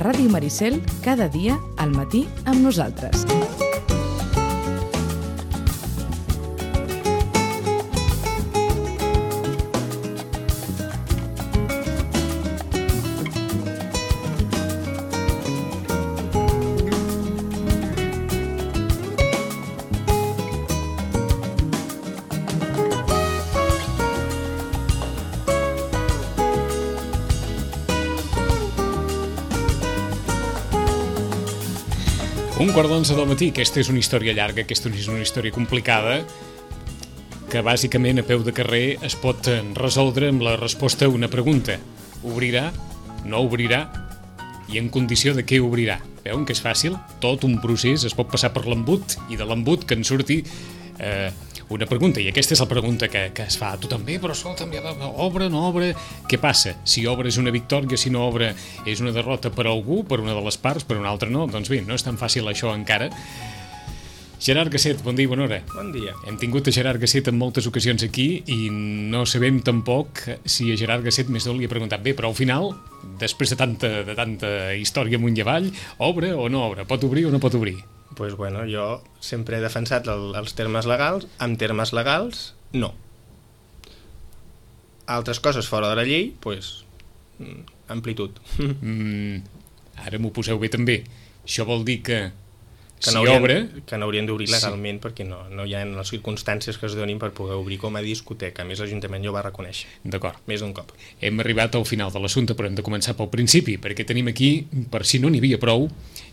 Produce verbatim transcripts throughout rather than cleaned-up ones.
Ràdio Maricel, cada dia al matí amb nosaltres. Un quart d'onze del matí, aquesta és una història llarga, aquesta és una història complicada, que bàsicament a peu de carrer es pot resoldre amb la resposta a una pregunta. Obrirà? No obrirà? I en condició de què obrirà? Veuen que és fàcil? Tot un procés es pot passar per l'embut i de l'embut que en surti eh, una pregunta. I aquesta és la pregunta que, que es fa. Tu també, però escolta, obre, no obre? Què passa? Si obre és una victòria, si no obre és una derrota per algú, per una de les parts, per una altra no? Doncs bé, no és tan fàcil això encara. Gerard Gasset, bon dia i bona hora. Bon dia. Hem tingut a Gerard Gasset en moltes ocasions aquí i no sabem tampoc si a Gerard Gasset més d'on li ha preguntat bé, però al final, després de tanta, de tanta història amunt i avall, obre o no obre? Pot obrir o no pot obrir? Pues bueno, jo sempre he defensat el, els termes legals. En termes legals, no. Altres coses fora de la llei, pues, amplitud. Mm, ara m'ho poseu bé també. Això vol dir que, que si no haurien, obre... Que no haurien d'obrir legalment, sí. Perquè no, no hi ha les circumstàncies que es donin per poder obrir com a discoteca. A més, l'Ajuntament ja ho va reconèixer. D'acord. Més d'un cop. Hem arribat al final de l'assumpte, però hem de començar pel principi, perquè tenim aquí, per si no n'hi havia prou,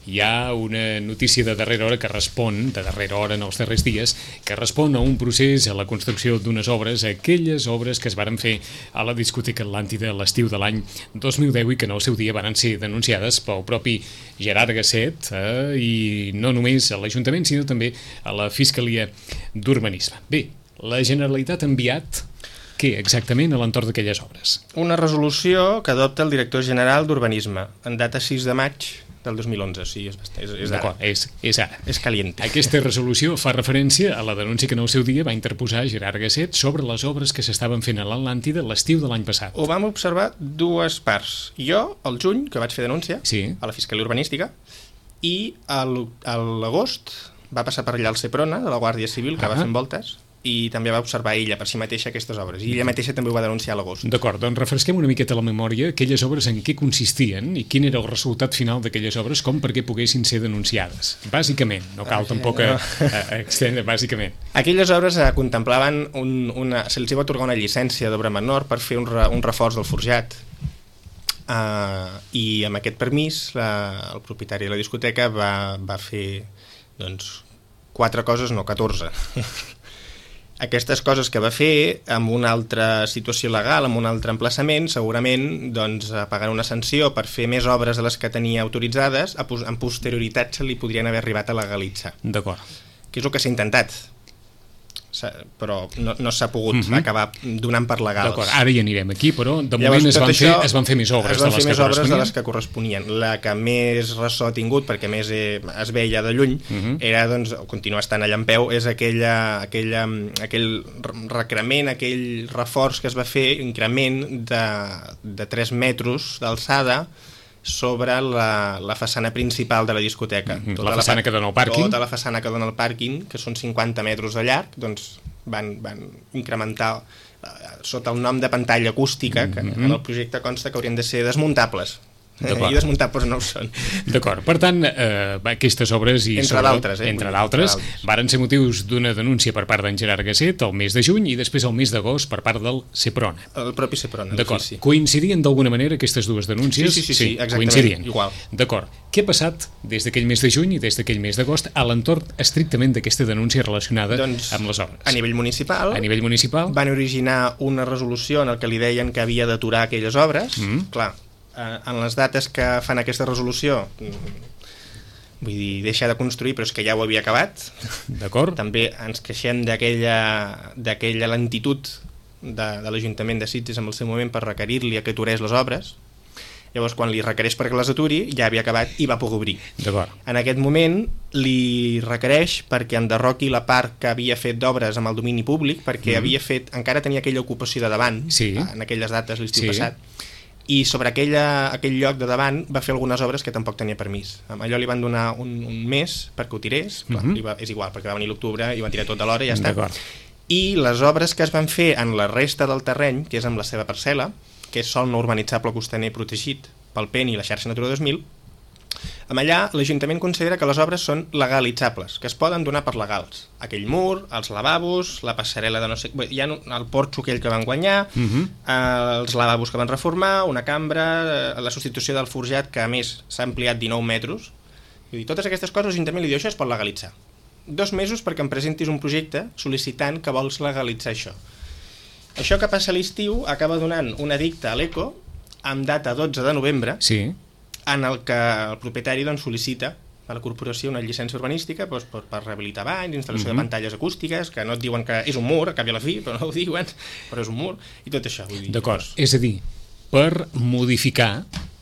hi ha una notícia de darrera hora que respon, de darrera hora en els darrers dies, que respon a un procés, a la construcció d'unes obres, a aquelles obres que es varen fer a la discoteca Atlàntida a l'estiu de l'any dos mil deu i que en el seu dia varen ser denunciades pel propi Gerard Gasset eh, i no només a l'Ajuntament, sinó també a la Fiscalia d'Urbanisme. Bé, la Generalitat ha enviat què exactament a l'entorn d'aquelles obres? Una resolució que adopta el director general d'Urbanisme en data sis de maig del dos mil onze, sí, és, és, és ara. És, és ara. És caliente. Aquesta resolució fa referència a la denúncia que en el seu dia va interposar Gerard Gasset sobre les obres que s'estaven fent a l'Atlàntida l'estiu de l'any passat. Ho vam observar dues parts. Jo, al juny, que vaig fer denúncia, sí. A la Fiscalia Urbanística, i a l'agost va passar per allà el Seprona, de la Guàrdia Civil, que ah. va fent voltes, i també va observar ella per si mateixa aquestes obres, i ella mateixa també ho va denunciar a l'agost. D'acord, doncs refresquem una miqueta la memòria aquelles obres en què consistien i quin era el resultat final d'aquelles obres com perquè poguessin ser denunciades. Bàsicament, no cal ah, tampoc no. extendre, bàsicament. Aquelles obres eh, contemplaven un, una, se els va atorgar una llicència d'obra menor per fer un, re, un reforç del forjat, uh, i amb aquest permís la, el propietari de la discoteca va, va fer doncs, quatre coses, no, catorze. Aquestes coses que va fer amb una altra situació legal, amb un altre emplaçament, segurament doncs, pagant una sanció per fer més obres de les que tenia autoritzades, en posterioritat se li podrien haver arribat a legalitzar. D'acord. Que és el que s'ha intentat, però no, no s'ha pogut uh-huh. acabar donant per legals. D'acord, ara hi anirem aquí, però de moment es van, fer, es van fer més obres, es van de, les fer més que obres de les que corresponien. La que més ressò ha tingut, perquè més eh, es veia de lluny, uh-huh. era, doncs, continuar estant allà en peu, és aquella, aquella, aquell recrement, aquell reforç que es va fer, increment de, de tres metres d'alçada sobre la, la façana principal de la discoteca. Mm-hmm. Tota la façana la, que dona al pàrquing? Tota la façana que dona al pàrquing, que són cinquanta metres de llarg, doncs van, van incrementar uh, sota el nom de pantalla acústica, que mm-hmm. en el projecte consta que haurien de ser desmuntables. I desmuntables no ho són. D'acord, per tant, eh, aquestes obres i entre d'altres, eh? entre d'altres, varen ser motius d'una denúncia per part d'en Gerard Gasset el mes de juny i després el mes d'agost per part del Seprona. El propi Seprona. D'acord, sí, sí. Coincidien d'alguna manera aquestes dues denúncies? Sí, sí, sí, sí, sí exactament, coincidien. Igual. D'acord, què ha passat des d'aquell mes de juny i des d'aquell mes d'agost a l'entorn estrictament d'aquesta denúncia relacionada doncs, amb les obres? A nivell municipal, a nivell municipal van originar una resolució en el que li deien que havia d'aturar aquelles obres, mm. clar, en les dates que fan aquesta resolució vull dir, deixar de construir, però és que ja ho havia acabat. D'acord. També ens queixem d'aquella d'aquella lentitud de, de l'Ajuntament de Sitges en el seu moment per requerir-li a que aturés les obres. Llavors, quan li requereix perquè les aturi, ja havia acabat i va poder obrir. D'acord. En aquest moment li requereix perquè enderroqui la part que havia fet d'obres amb el domini públic, perquè mm. havia fet, encara tenia aquella ocupació de davant, sí. en aquelles dates l'estiu sí. passat, i sobre aquella, aquell lloc de davant va fer algunes obres que tampoc tenia permís. Amb allò li van donar un, un mes perquè ho tirés, clar, uh-huh. li va, és igual, perquè va venir l'octubre i van tirar tot a l'hora i ja està. I les obres que es van fer en la resta del terreny, que és amb la seva parcel·la, que és sòl no urbanitzable costaner protegit pel P E N i la xarxa Natura dos mil, amb allà l'Ajuntament considera que les obres són legalitzables, que es poden donar per legals. Aquell mur, els lavabos, la passarel·la de no sé... Hi ha el porxo aquell que van guanyar, uh-huh. eh, els lavabos que van reformar, una cambra, eh, la substitució del forjat, que a més s'ha ampliat dinou metres. Vull dir, totes aquestes coses l'Ajuntament li diu això es pot legalitzar. Dos mesos perquè em presentis un projecte sol·licitant que vols legalitzar això. Això que passa a l'estiu acaba donant un edicte a l'ECO amb data dotze de novembre, sí. en el que el propietari doncs, sol·licita a la corporació una llicència urbanística doncs, per, per rehabilitar banys, instal·lació uh-huh. de pantalles acústiques, que no et diuen que és un mur, a cap i a la fi, però no ho diuen, però és un mur, i tot això. Vull dir, d'acord, doncs... és a dir, per modificar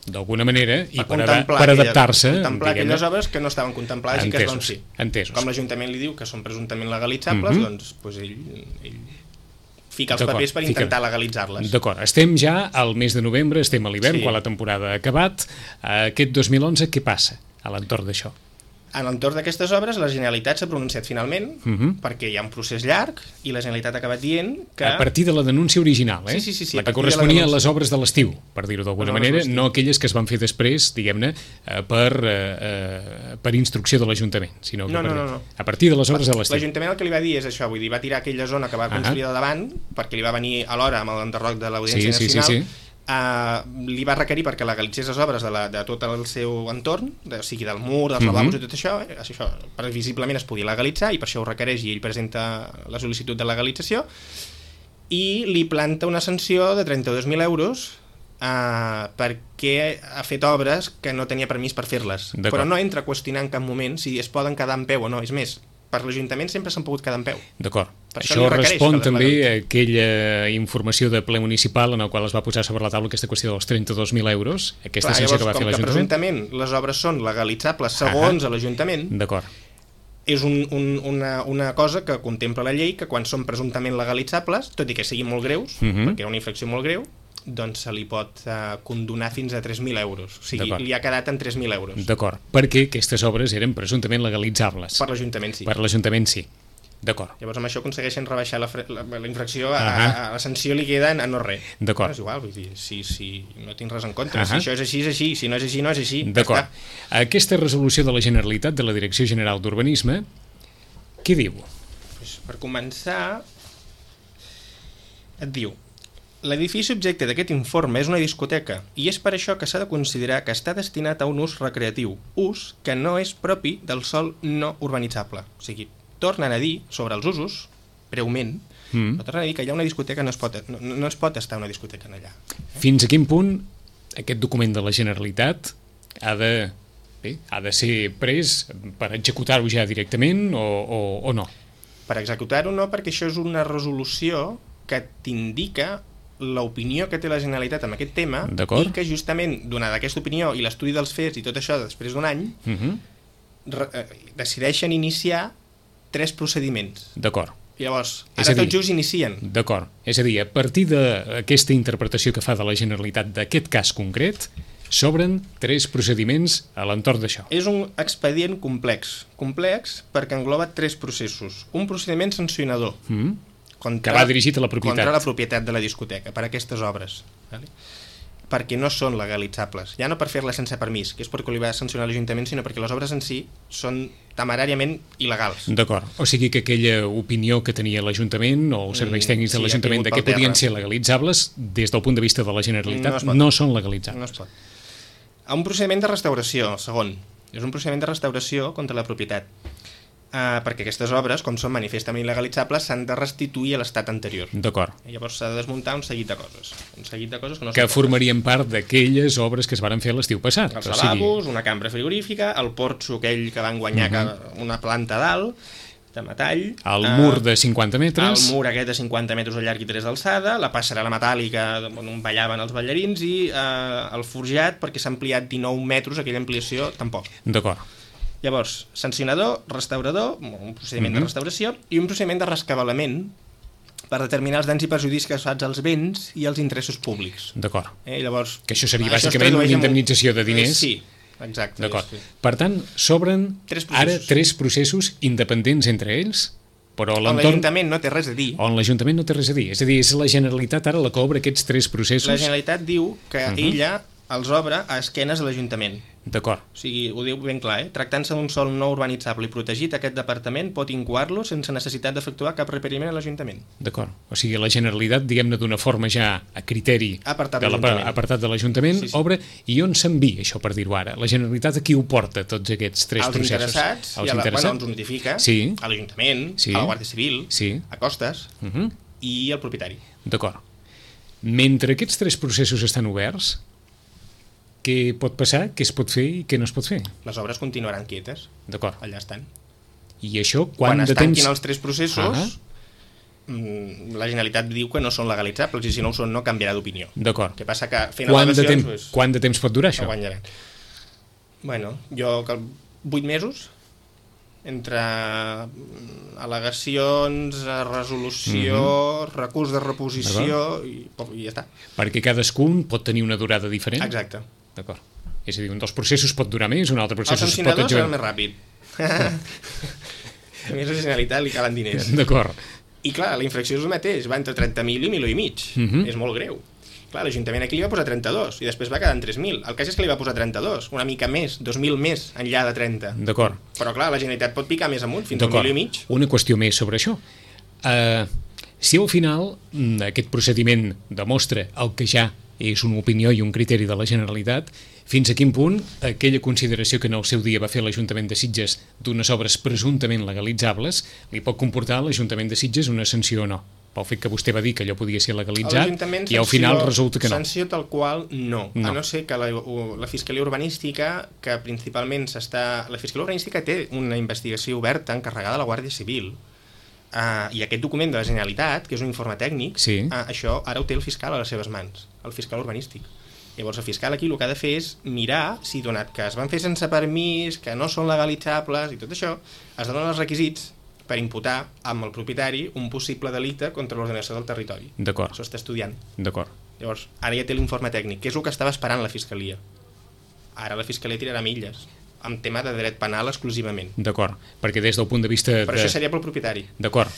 d'alguna manera i per, per, per adaptar-se... Contemplar aquelles obres que no estaven contemplades entesos, i que es van fer. Entesos. Com l'Ajuntament li diu que són presumptament legalitzables, uh-huh. doncs, doncs ell, ell fica els papers per intentar fica... legalitzar-les. D'acord, estem ja al mes de novembre, estem a l'hivern, sí. quan la temporada ha acabat. Aquest dos mil onze, què passa a l'entorn d'això? En l'entorn d'aquestes obres, la Generalitat s'ha pronunciat finalment, uh-huh. perquè hi ha un procés llarg, i la Generalitat ha acabat dient que... A partir de la denúncia original, eh? Sí, sí, sí, sí, la que corresponia a les obres de l'estiu, per dir-ho d'alguna manera, no aquelles que es van fer després, diguem-ne, per, eh, per instrucció de l'Ajuntament, sinó que no, per, no, no, no. a partir de les obres de l'estiu. L'Ajuntament el que li va dir és això, vull dir, va tirar aquella zona que va construir uh-huh. de davant, perquè li va venir a l'hora amb l'enderroc de l'Audiència sí, Nacional, sí, sí, sí. Uh, li va requerir perquè legalitzés les obres de, la, de tot el seu entorn, de, o sigui del mur, dels lavabos uh-huh. i tot això, eh, això previsiblement es podia legalitzar i per això ho requereix i ell presenta la sol·licitud de legalització i li planta una sanció de trenta-dos mil euros uh, perquè ha fet obres que no tenia permís per fer-les, però no entra a qüestionar en cap moment si es poden quedar en peu o no, és més, per l'Ajuntament sempre s'han pogut quedar en peu. D'acord. Això, això respon també a aquella informació de ple municipal en el qual es va posar sobre la taula aquesta qüestió dels trenta-dos mil euros, aquesta sanció que va fer l'Ajuntament. Com que presumptament les obres són legalitzables segons ah, a l'Ajuntament, d'acord. És un, un, una, una cosa que contempla la llei, que quan són presumptament legalitzables, tot i que siguin molt greus, uh-huh. perquè era una infracció molt greu, doncs se li pot uh, condonar fins a tres mil euros. O sigui, li ha quedat en tres mil euros. D'acord, perquè aquestes obres eren presumptament legalitzables. Per l'Ajuntament sí. Per l'Ajuntament sí. D'acord. Llavors amb això aconsegueixen rebaixar la, la, la infracció, a, uh-huh. a, a la sanció li queda en, en no res. D'acord. No, és igual, vull dir, si, si no tinc res en contra, uh-huh. si això és així, és així, si no és així, no és així. D'acord. Aquesta resolució de la Generalitat, de la Direcció General d'Urbanisme, què diu? Pues, per començar, et diu: l'edifici objecte d'aquest informe és una discoteca i és per això que s'ha de considerar que està destinat a un ús recreatiu, ús que no és propi del sòl no urbanitzable. O sigui, tornen a dir sobre els usos, breument, mm. però tornen a dir que hi ha una discoteca, no es pot, no, no es pot estar una discoteca en allà. Fins a quin punt aquest document de la Generalitat ha de, bé, ha de ser pres per executar-ho ja directament o, o, o no? Per executar-ho no, perquè això és una resolució que t'indica l'opinió que té la Generalitat en aquest tema i que justament, donada aquesta opinió i l'estudi dels fets i tot això després d'un any, uh-huh. re, eh, decideixen iniciar tres procediments. D'acord. Llavors, ara tot just inicien. D'acord. És a dir, a partir d'aquesta interpretació que fa de la Generalitat d'aquest cas concret, s'obren tres procediments a l'entorn d'això. És un expedient complex. Complex perquè engloba tres processos. Un procediment sancionador, mm. Contra, que va dirigit a la propietat. Contra la propietat de la discoteca, per aquestes obres. Vale? Perquè no són legalitzables. Ja no per fer-les sense permís, que és perquè li va sancionar l'Ajuntament, sinó perquè les obres en si són temeràriament il·legals. D'acord. O sigui que aquella opinió que tenia l'Ajuntament o els serveis tècnics de sí, l'Ajuntament de que podien ser legalitzables, des del punt de vista de la Generalitat, no, no són legalitzables. No es pot. A un procediment de restauració, el segon. És un procediment de restauració contra la propietat. Uh, perquè aquestes obres, com són manifestament il·legalitzables, s'han de restituir a l'estat anterior. D'acord. I llavors s'ha de desmuntar un seguit de coses. Un seguit de coses que no que formarien part d'aquelles obres que es van fer l'estiu passat. Els lavabos, sigui... una cambra frigorífica, el porxo aquell que van guanyar uh-huh. que una planta dalt, de metall. El uh, mur de cinquanta metres. El mur aquest de cinquanta metres de llarg i tres d'alçada, la passarel·la metàl·lica on ballaven els ballarins i uh, el forjat, perquè s'ha ampliat dinou metres, aquella ampliació, tampoc. D'acord. Llavors, sancionador, restaurador, un procediment uh-huh. de restauració i un procediment de rescabalament per determinar els danys i perjudicis causats als béns i els interessos públics. D'acord. Eh, llavors, que això seria això bàsicament una indemnització de diners. Eh, sí, exacte. D'acord. Sí. Per tant, s'obren tres processos. ara tres processos independents entre ells, però on l'entorn... l'Ajuntament no té res a dir. On l'Ajuntament no té res a dir. És a dir, és la Generalitat ara la que obre aquests tres processos. La Generalitat diu que uh -huh. ella els obre a esquenes de l'Ajuntament. D'acord. O sigui, ho diu ben clar, eh? Tractant-se d'un sòl no urbanitzable i protegit, aquest departament pot incoar-lo sense necessitat d'efectuar cap requeriment a l'Ajuntament. D'acord. O sigui, la Generalitat, diguem-ne d'una forma ja a criteri apartat de l'Ajuntament, apartat de l'Ajuntament, sí, sí. obre, i on s'envia això, per dir-ho ara? La Generalitat a qui ho porta, tots aquests tres als processos? Interessats, als i a la, interessats, bueno, ens notifica sí. a l'Ajuntament, sí. a la Guàrdia Civil, sí. a Costes uh -huh. i al propietari. D'acord. Mentre aquests tres processos estan oberts, què pot passar, què es pot fer i què no es pot fer? Les obres continuaran quietes. D'acord. Allà estan. I això, quan, quan de temps... Quan es tanquin els tres processos, uh -huh. la Generalitat diu que no són legalitzables i si no ho són no canviarà d'opinió. D'acord. Què passa que fent quant de, temps, pues, quant de temps pot durar això? No guanyaran. Bueno, jo... vuit mesos entre al·legacions, resolució, uh -huh. recurs de reposició i, i ja està. Perquè cadascun pot tenir una durada diferent? Exacte. D'acord. És a dir, un dels processos pot durar més, un altre procés el es pot adjudicar. El sancionador serà més ràpid. A més, a la Generalitat li calen diners. D'acord. I clar, la infracció és el mateix, va entre trenta mil i mil i mig. Uh -huh. És molt greu. Clar, l'Ajuntament aquí li va posar trenta-dos i després va quedar en tres mil. El cas és que li va posar trenta-dos, una mica més, dos mil més enllà de trenta. D'acord. Però clar, la Generalitat pot picar més amunt, fins a un mil i mig. Una qüestió més sobre això. Uh, si al final aquest procediment demostra el que ja és una opinió i un criteri de la Generalitat, fins a quin punt aquella consideració que en el seu dia va fer l'Ajuntament de Sitges d'unes obres presumptament legalitzables li pot comportar a l'Ajuntament de Sitges una sanció o no? Pel fet que vostè va dir que allò podia ser legalitzat i al final resulta que no. Sanció tal qual no, no. A no ser que la, la Fiscalia Urbanística, que principalment s'està... La Fiscalia Urbanística té una investigació oberta encarregada a la Guàrdia Civil uh, i aquest document de la Generalitat, que és un informe tècnic, sí. uh, això ara ho té el fiscal a les seves mans, el fiscal urbanístic. Llavors el fiscal aquí el que ha de fer és mirar si, donat que es van fer sense permís, que no són legalitzables i tot això, es donen els requisits per imputar amb el propietari un possible delicte contra l'ordenació del territori. D'acord. Això està estudiant. D'acord. Llavors, ara ja té l'informe tècnic, que és el que estava esperant la Fiscalia. Ara la Fiscalia tirarà milles, amb tema de dret penal exclusivament. D'acord, perquè des del punt de vista... Però de... això seria pel propietari. D'acord.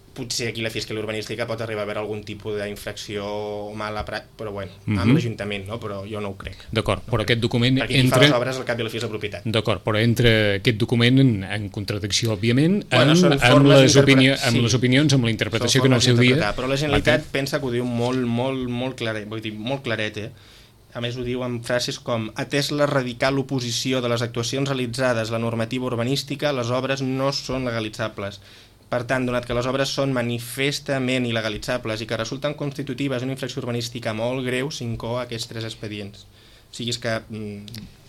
Potser aquí la Fiscalia Urbanística pot arribar a haver algun tipus d'infracció o mala pràctica, però bueno, uh -huh. amb l'Ajuntament, no? Però jo no ho crec. D'acord, no però crec. aquest document Perquè entra... Perquè qui fa les obres al cap i a la fi és la propietat. D'acord, però entra aquest document en, en contradicció, òbviament, bueno, amb, amb, les opini... amb sí. les opinions, amb la interpretació que en el seu dia... Però la Generalitat pensa que ho diu molt, molt, molt claret, vull dir, molt claret, eh? A més ho diu amb frases com atès la radical oposició de les actuacions realitzades a la normativa urbanística, les obres no són legalitzables. Per tant, donat que les obres són manifestament il·legalitzables i que resulten constitutives d'una infracció urbanística molt greu, s'incou aquests tres expedients. O sigui, és que,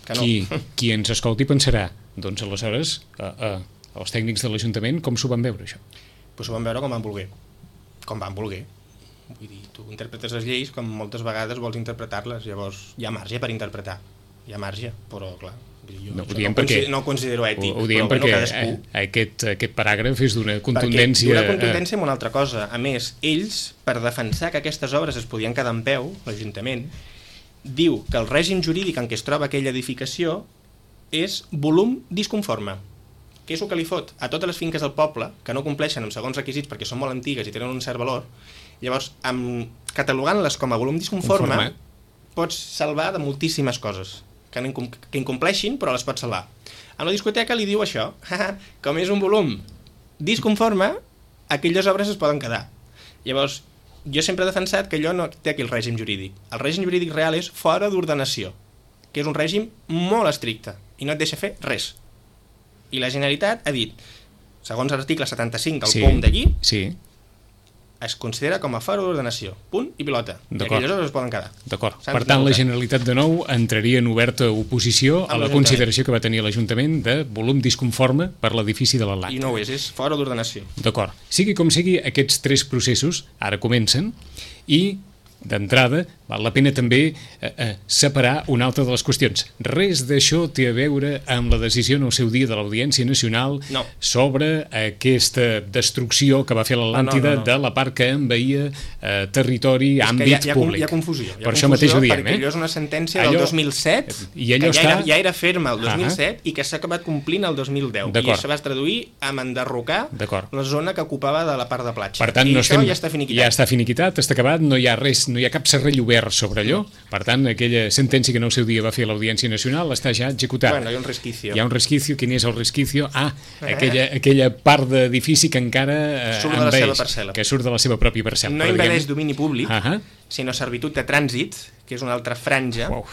que no. Qui, qui ens escolti pensarà, doncs aleshores, eh, eh, els tècnics de l'Ajuntament, com s'ho van veure, això? Pues s'ho van veure com van voler. Com van voler. Vull dir, tu interpretes les lleis com moltes vegades vols interpretar-les, llavors hi ha marge per interpretar. Hi ha marge, però clar... Jo no, ho no, perquè, no ho considero ètic, ho, ho diem però perquè bueno, cadascú... aquest, aquest paràgraf és d'una contundència... D'una contundència amb una altra cosa. A més, ells, per defensar que aquestes obres es podien quedar en peu, l'Ajuntament, diu que el règim jurídic en què es troba aquella edificació és volum disconforme. Què és el que li fot a totes les finques del poble que no compleixen amb segons requisits perquè són molt antigues i tenen un cert valor? Llavors, amb, catalogant-les com a volum disconforme, Conforme. pots salvar de moltíssimes coses. Que, no, que incompleixin, però les pots salvar. A la discoteca li diu això, com és un volum disconforme, aquelles obres es poden quedar. Llavors, jo sempre he defensat que allò no té aquí el règim jurídic. El règim jurídic real és fora d'ordenació, que és un règim molt estricte i no et deixa fer res. I la Generalitat ha dit, segons l'article setanta-cinc del sí, POM d'aquí, sí. es considera com a fora d'ordenació. Punt i pilota. I aquelles obres es poden quedar. D'acord. Per tant, la Generalitat de nou entraria en oberta oposició a la consideració que va tenir l'Ajuntament de volum disconforme per l'edifici de l'Atlantic. I no ho és, és fora d'ordenació. D'acord. Sigui com sigui, aquests tres processos ara comencen i d'entrada, val la pena també eh, eh, separar una altra de les qüestions. Res d'això té a veure amb la decisió en el seu dia de l'Audiència Nacional no. sobre aquesta destrucció que va fer l'Atlàntida no, no, no, no. de la part que envaïa eh, territori, és àmbit hi ha, hi ha, públic. Hi ha confusió. Hi ha per confusió això mateix ho diem, perquè eh? allò és una sentència allò, del dos mil set, i allò que ja, està... era, ja era ferma el dos mil set uh -huh. i que s'ha acabat complint el dos mil deu. I això va es traduir amb enderrocar la zona que ocupava de la part de platja. Per tant, I no això estem, ja està finiquitat. Ja està finiquitat, està acabat, no hi ha res, no hi ha cap serrell obert sobre allò. Per tant, aquella sentència que en el seu dia va fer l'Audiència Nacional està ja executada. Bueno, hi ha un resquicio. Hi ha un resquicio. Quin és el resquicio? Ah, eh? aquella, aquella part d'edifici que encara eh, surt de la seva parcel·la. Que surt de la seva pròpia parcel·la. No invadeix domini públic, uh -huh. sinó servitud de trànsit, que és una altra franja. Wow.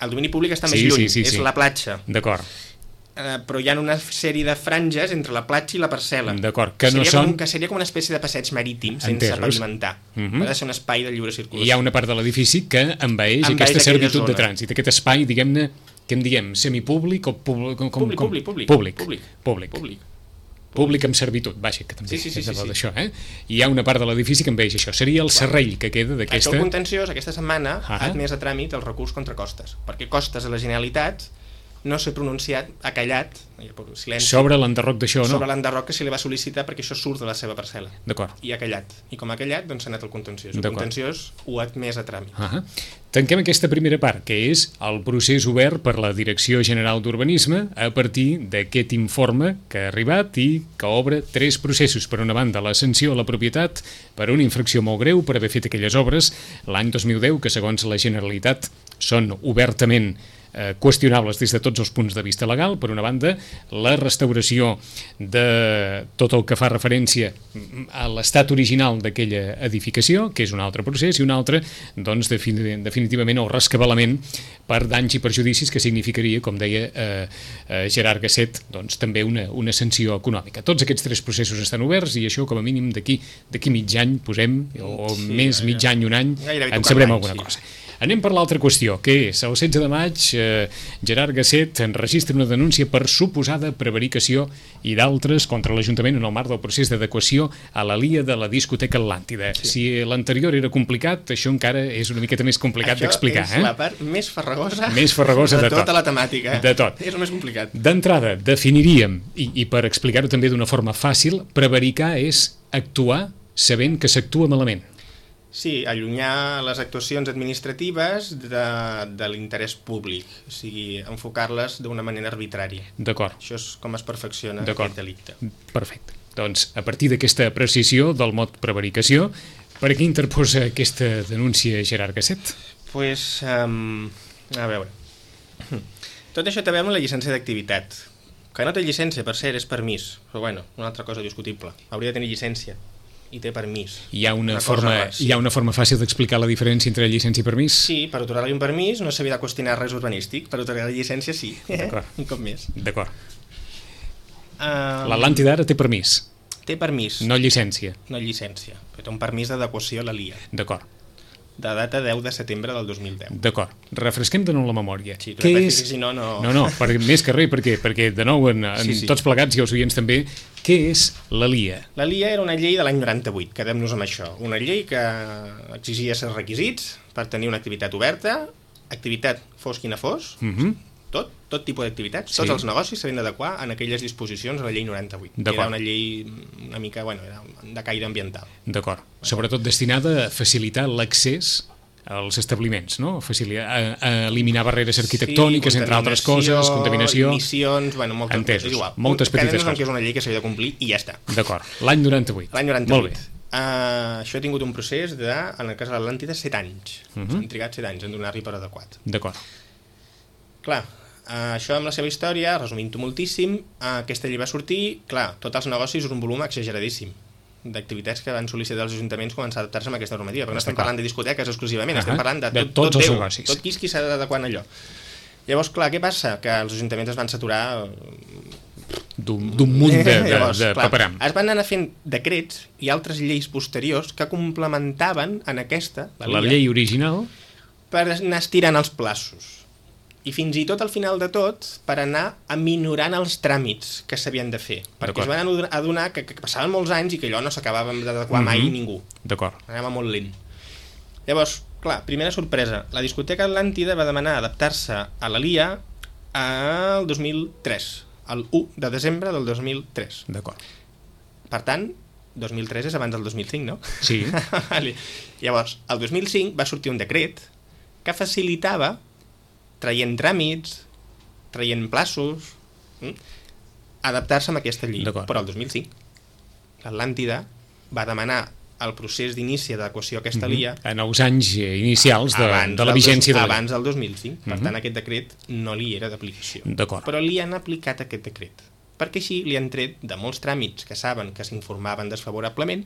El domini públic està sí, més lluny, sí, sí, és sí. la platja. D'acord. Uh, però hi ha una sèrie de franges entre la platja i la parcel·la. D'acord, que, que no seria són... Com, que seria com una espècie de passeig marítim sense Entesos. pavimentar. Uh -huh. Ha de ser un espai de lliure circulació. Hi ha una part de l'edifici que envaeix, envaeix aquesta servitud zona. de trànsit. Aquest espai, diguem-ne, què en diem? Semipúblic o públic? Com, públic, com? públic, públic. Públic. Públic. Públic. Públic. Públic amb servitud, vaja, que també sí, sí, sí, és sí, sí. d'això, eh? I hi ha una part de l'edifici que envaeix això. Seria el serrell que queda d'aquesta... Això el contenciós, aquesta setmana, ah. ha admès a tràmit el recurs contra Costes, perquè Costes de la Generalitat no s'ha pronunciat, ha callat, silenci, sobre l'enderroc d'això, no? Sobre l'enderroc que se li va sol·licitar perquè això surt de la seva parcel·la. D'acord. I ha callat. I com ha callat, doncs s'ha anat el contenciós. El contenciós ho ha admès a tràmit. Uh -huh. Tanquem aquesta primera part, que és el procés obert per la Direcció General d'Urbanisme a partir d'aquest informe que ha arribat i que obre tres processos. Per una banda, la sanció a la propietat per una infracció molt greu per haver fet aquelles obres l'any dos mil deu, que segons la Generalitat són obertament Eh, qüestionables des de tots els punts de vista legal. Per una banda, la restauració de tot el que fa referència a l'estat original d'aquella edificació, que és un altre procés, i un altre, doncs, definitivament el rescabalament per danys i perjudicis, que significaria, com deia eh, eh, Gerard Gasset, doncs, també una, una sanció econòmica. Tots aquests tres processos estan oberts i això, com a mínim, d'aquí d'aquí mig any, posem, o sí, més ja, mig any, un any, en sabrem alguna sí. cosa. Anem per l'altra qüestió, que és el setze de maig, eh, Gerard Gasset enregistra una denúncia per suposada prevaricació i d'altres contra l'Ajuntament en el marc del procés d'adequació a la L I A de la discoteca Atlàntida. Sí. Si l'anterior era complicat, això encara és una miqueta més complicat d'explicar. Això és eh? la part més farragosa, més farragosa de, de tot. tota la temàtica. De tot. És el més complicat. D'entrada, definiríem, i, i per explicar-ho també d'una forma fàcil, prevaricar és actuar sabent que s'actua malament. Sí, allunyar les actuacions administratives de, de l'interès públic, o sigui, enfocar-les d'una manera arbitrària. D'acord. Això és com es perfecciona aquest delicte. Perfecte. Doncs, a partir d'aquesta apreciació del mot prevaricació, per què interposa aquesta denúncia Gerard Gasset? Doncs, pues, um, a veure, tot això té a veure amb la llicència d'activitat, que no té llicència, per cert, és permís, però bueno, una altra cosa discutible, hauria de tenir llicència. I té permís. Hi ha una, una forma, hi ha una forma fàcil d'explicar la diferència entre llicència i permís? Sí, per atorgar-li un permís no s'havia de qüestionar res urbanístic, per atorgar-li llicència sí. D'acord. Un cop més. D'acord. Um, L'Atlàntida ara té permís? Té permís. No llicència? No llicència, però té un permís d'adequació a la L I A. D'acord. De data deu de setembre del dos mil deu. D'acord. Refresquem de nou la memòria. Sí, Què és... si no, no... No, no, per, més que res, perquè, perquè de nou, en, en sí, sí. tots plegats i els oients també, què és la L I A? La L I A era una llei de l'any noranta-vuit, quedem-nos amb això. Una llei que exigia certs requisits per tenir una activitat oberta, activitat fos quina fos, uh -huh. tot, tot tipus d'activitats, sí. tots els negocis s'havien d'adequar en aquelles disposicions de la llei noranta-vuit. Era una llei una mica, bueno, era de caire ambiental. D'acord. Sobretot destinada a facilitar l'accés als establiments, no? Facilitar, a, a eliminar barreres arquitectòniques, sí, entre altres coses, contaminació... emissions, bueno, moltes, entesos, és igual. moltes petites coses. Que és una llei que s'havia de complir i ja està. D'acord. L'any noranta-vuit. L'any noranta-vuit. Uh, això ha tingut un procés de, en el cas de l'Atlàntida, set anys. Uh -huh. S'han trigat set anys en donar-li per adequat. D'acord. Clar, uh, això amb la seva història, resumint-ho moltíssim, uh, aquesta llei va sortir, clar, tots els negocis un volum exageradíssim d'activitats que van sol·licitar els ajuntaments començar a adaptar-se a aquesta normativa, perquè no estem parlant de discoteques exclusivament, uh -huh. estem parlant de, tot, de tots tot els Déu, negocis. tot qui és qui s'ha d'adequar en allò. Llavors, clar, què passa? Que els ajuntaments es van saturar d'un munt de, de, Llavors, de clar, paperam. Es van anar fent decrets i altres lleis posteriors que complementaven en aquesta, la, la llei original, per anar estirant els plaços. I fins i tot al final de tot per anar aminorant els tràmits que s'havien de fer, perquè es van adonar que, que passaven molts anys i que allò no s'acabava d'adequar uh -huh. mai ningú. D'acord. Anava molt lent. Llavors, clar, primera sorpresa. La discoteca Atlàntida va demanar adaptar-se a la L I A el dos mil tres, el u de desembre del dos mil tres. D'acord. Per tant, dos mil tres és abans del dos mil cinc, no? Sí. Vale. Llavors, el dos mil cinc va sortir un decret que facilitava, traient tràmits, traient plaços, hm? adaptar-se a aquesta llei. Però el dos mil cinc l'Atlàntida va demanar el procés d'inici d'adequació a aquesta mm-hmm. L I A en els anys inicials de, de la vigència dos, de la abans del dos mil cinc. Per mm-hmm. tant, aquest decret no li era d'aplicació. D'acord. Però li han aplicat aquest decret, perquè així li han tret de molts tràmits que saben que s'informaven desfavorablement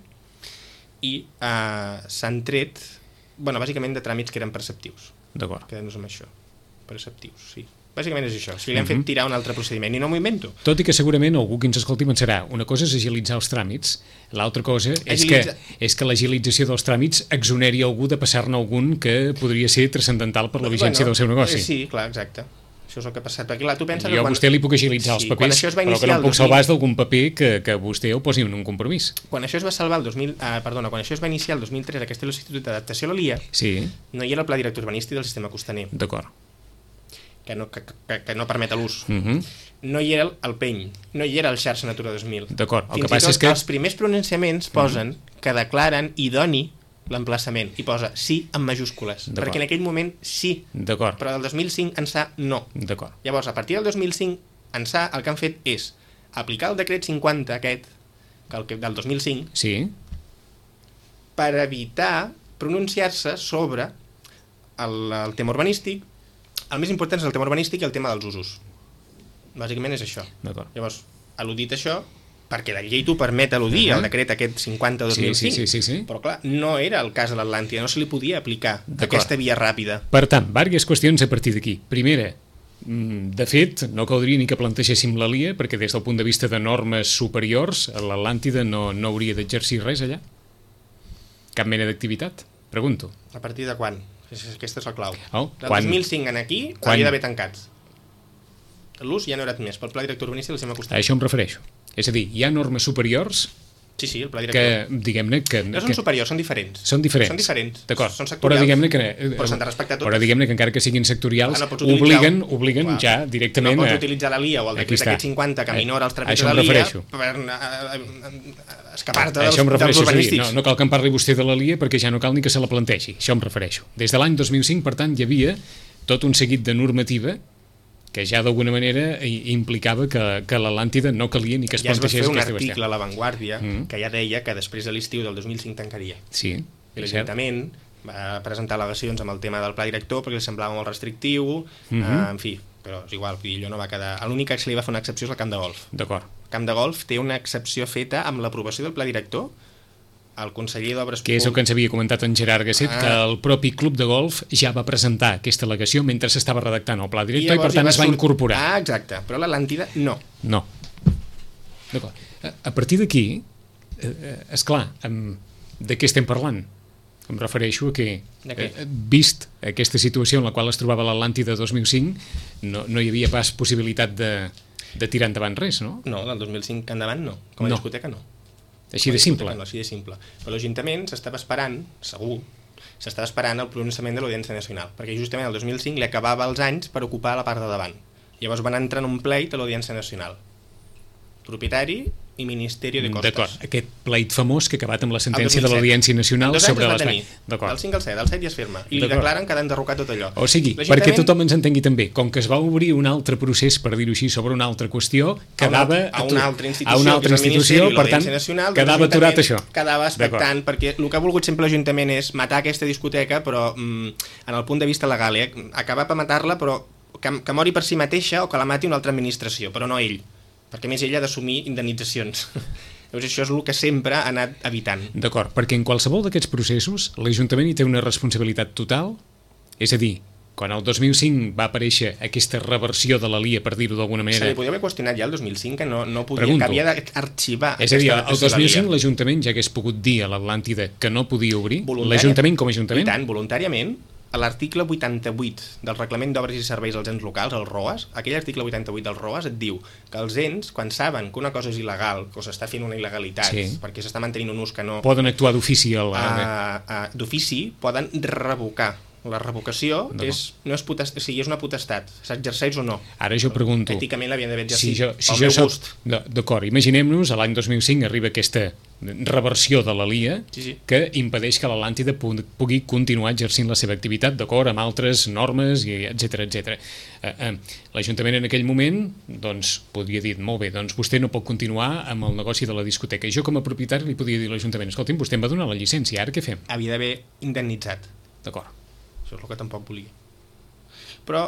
i eh, s'han tret, bueno, bàsicament de tràmits que eren perceptius. D'acord. Quedem-nos amb això. Perceptius, sí. Bàsicament és això. O sigui, li han fet tirar un altre procediment i no m'ho invento. Tot i que segurament algú que ens escolti pensarà una cosa és agilitzar els tràmits, l'altra cosa és Agilitza... que, és que l'agilització dels tràmits exoneri algú de passar-ne algun que podria ser transcendental per la vigència bueno, del seu negoci. Sí, clar, exacte. Això és el que ha passat. Perquè, clar, tu penses jo que a quan... vostè li puc agilitzar sí, els papers, però que no em puc salvar d'algun paper que, que vostè ho posi en un compromís. Quan això es va salvar el dos mil... Eh, perdona, quan això es va iniciar el dos mil tres, aquesta l'Institut d'Adaptació a la L I A, sí. no hi era el Pla Director Urbanístic del Sistema Costaner. D'acord. Que no, que, que, que no permet l'ús. Uh-huh. No hi era el, el P E N, no hi era el Xarxa Natura dos mil. D'acord, el Fins que passa és que... els primers pronunciaments posen uh-huh. que declaren idoni l'emplaçament, i posa sí en majúscules, perquè en aquell moment sí, però del dos mil cinc ençà no. Llavors, a partir del dos mil cinc ençà el que han fet és aplicar el decret cinquanta aquest, que el que, del dos mil cinc, sí. per evitar pronunciar-se sobre el, el tema urbanístic. El més important és el tema urbanístic i el tema dels usos. Bàsicament és això. Llavors, al·ludit això, perquè la llei t'ho permet al·ludir, uh-huh. el decret aquest cinquanta dos mil cinc, sí, sí, sí, sí. però clar, no era el cas de l'Atlàntida, no se li podia aplicar aquesta via ràpida. Per tant, diverses qüestions a partir d'aquí. Primera, de fet, no caldria ni que plantegéssim la L I A, perquè des del punt de vista de normes superiors, l'Atlàntida no, no hauria d'exercir res allà. Cap mena d'activitat? Pregunto. A partir de quan? Aquesta és la clau. Oh, del quan... dos mil cinc en aquí quan... havia d'haver tancats. L'ús ja no era admès pel Pla Director Urbanístic del Sistema Costaner. A això em refereixo. És a dir, hi ha normes superiors sí, sí, el Pla Director. Que, diguem-ne... Que, no són que... superiors, són diferents. Són diferents. Són diferents. D'acord. Són sectorials, però diguem-ne que, però s'han de respectar totes. Però diguem-ne que encara que siguin sectorials, ah, no obliguen, obliguen clar, ja directament... No pots utilitzar la L I A o el decret aquest cinquanta que minora els tràmits de la L I A per escapar-te dels, dels urbanístics. Sí, no, no cal que em parli vostè de la L I A perquè ja no cal ni que se la plantegi. Això em refereixo. Des de l'any dos mil cinc, per tant, hi havia tot un seguit de normativa que ja d'alguna manera implicava que, que l'Atlàntida no calia ni que es ja plantegés aquesta qüestió. Ja aquesta es va fer un article a La Vanguardia mm. que ja deia que després de l'estiu del dos mil cinc tancaria. Sí, i l'Ajuntament va presentar al·legacions amb el tema del pla director perquè li semblava molt restrictiu, mm-hmm. eh, en fi, però és igual, allò no va quedar... L'únic que se li va fer una excepció és el camp de golf. D'acord. El camp de golf té una excepció feta amb l'aprovació del pla director. El conseller d'Obres... Que és el que ens havia comentat en Gerard Gasset, ah. que el propi club de golf ja va presentar aquesta al·legació mentre s'estava redactant el pla director i, i per tant va es va surt... incorporar. Ah, exacte, però l'Atlàntida no. No. D'acord. A, a partir d'aquí, eh, esclar, amb, de què estem parlant? Em refereixo a que, eh, vist aquesta situació en la qual es trobava l'Atlàntida dos mil cinc, no, no hi havia pas possibilitat de, de tirar endavant res, no? No, del dos mil cinc endavant no. Com a no. discoteca no. Així de simple. No, així de simple. Però l'Ajuntament s'estava esperant, segur, s'estava esperant el pronunciament de l'Audiència Nacional, perquè justament el dos mil cinc li acabava els anys per ocupar la part de davant. Llavors van entrar en un pleit a l'Audiència Nacional. Propietari i Ministeri de Costes. D'acord, aquest pleit famós que ha acabat amb la sentència de l'Audiència Nacional sobre l'espai. Del cinc al set, del set ja es firma. I li declaren que ha d'enderrocar tot allò. O sigui, perquè tothom ens entengui també, com que es va obrir un altre procés, per dir-ho així, sobre una altra qüestió, quedava a una altra institució, a una altra institució per tant, quedava aturat això. Quedava expectant, perquè el que ha volgut sempre l'Ajuntament és matar aquesta discoteca, però mm, en el punt de vista legal, eh? acabar per matar-la, però que, que mori per si mateixa o que la mati una altra administració, però no ell. Perquè més ell ha d'assumir indemnitzacions. Llavors això és el que sempre ha anat evitant. D'acord, perquè en qualsevol d'aquests processos l'Ajuntament hi té una responsabilitat total, és a dir, quan el dos mil cinc va aparèixer aquesta reversió de la L I A, per dir-ho d'alguna manera... Se li podia haver qüestionat ja el dos mil cinc que no, no podia, Pregunto. que havia d'arxivar és a dir, el dos mil cinc l'Ajuntament ja hagués pogut dir a l'Atlàntida que no podia obrir, Voluntari... l'Ajuntament com a Ajuntament... I tant, voluntàriament, a l'article vuitanta-vuit del Reglament d'Obres i Serveis als Ens Locals, el ROAS, aquell article vuitanta-vuit del ROAS et diu que els ens, quan saben que una cosa és il·legal, que s'està fent una il·legalitat, sí. perquè s'està mantenint un ús que no... Poden actuar d'ofici a la... Uh, uh, d'ofici, poden revocar. La revocació és, no és, potestat, o sigui, és una potestat, s'exerceix o no. Ara jo pregunto... Èticament l'havien d'haver exercit, si jo, si pel jo meu soc, gust. D'acord, imaginem-nos, a l'any dos mil cinc arriba aquesta reversió de la L I A sí, sí. que impedeix que l'Atlàntida pugui continuar exercint la seva activitat d'acord amb altres normes, etcètera etcètera. Eh, eh, L'Ajuntament en aquell moment doncs, podria dir, molt bé, doncs vostè no pot continuar amb el negoci de la discoteca. I jo com a propietari li podria dir a l'Ajuntament, escolti'm, vostè em va donar la llicència, ara què fem? Havia d'haver indemnitzat. D'acord. Això és el que tampoc volia. Però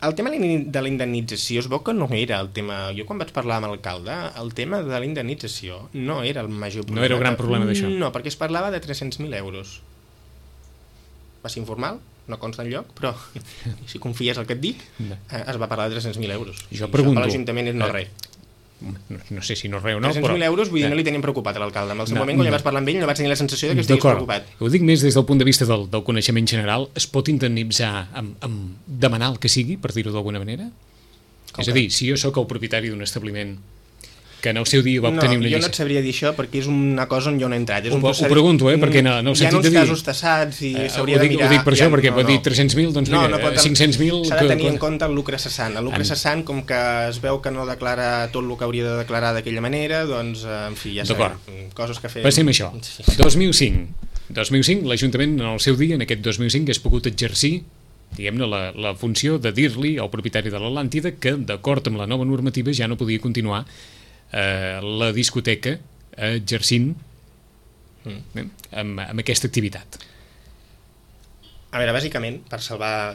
el tema de la indemnització es veu que no era el tema... Jo quan vaig parlar amb l'alcalde, el tema de la indemnització no era el major problema. No era el gran problema d'això. No, perquè es parlava de tres-cents mil euros. Va ser informal, no consta enlloc, però si confies el que et dic, no. es va parlar de tres-cents mil euros. Jo pregunto... Això per l'Ajuntament és no res. No, no sé si no res o no, tres-cents mil euros, vull dir, no li tenien preocupat a l'alcalde. En el seu no, moment, quan no. ja vaig parlar amb ell, no vaig tenir la sensació de que estigués preocupat. Ho dic més des del punt de vista del, del coneixement general. Es pot indemnitzar amb, amb demanar el que sigui, per dir-ho d'alguna manera? Com és que? A dir, si jo sóc el propietari d'un establiment que en el seu dia va obtenir no, una llicència... No, jo no et sabria dir això perquè és una cosa on jo no he entrat. És ho, un procés... ho pregunto, eh, perquè en el sentit de dir... Hi ha uns casos tassats i s'hauria de mirar... Ho dic per això, ja, perquè no, pot no. dir tres-cents mil, doncs mira, no, no cinc-cents mil... S'ha de tenir en compte el lucre cessant. El lucre cessant, com que es veu que no declara tot el que hauria de declarar d'aquella manera, doncs, en fi, ja sabem, coses que fem... Passem això. dos mil cinc. dos mil cinc, l'Ajuntament, en el seu dia, en aquest dos mil cinc, hagués pogut exercir diguem-ne, la, la funció de dir-li al propietari de l'Atlàntida que, d'acord amb la nova normativa, ja no podia continuar eh, la discoteca exercint mm. eh, amb, amb aquesta activitat. A veure, bàsicament, per salvar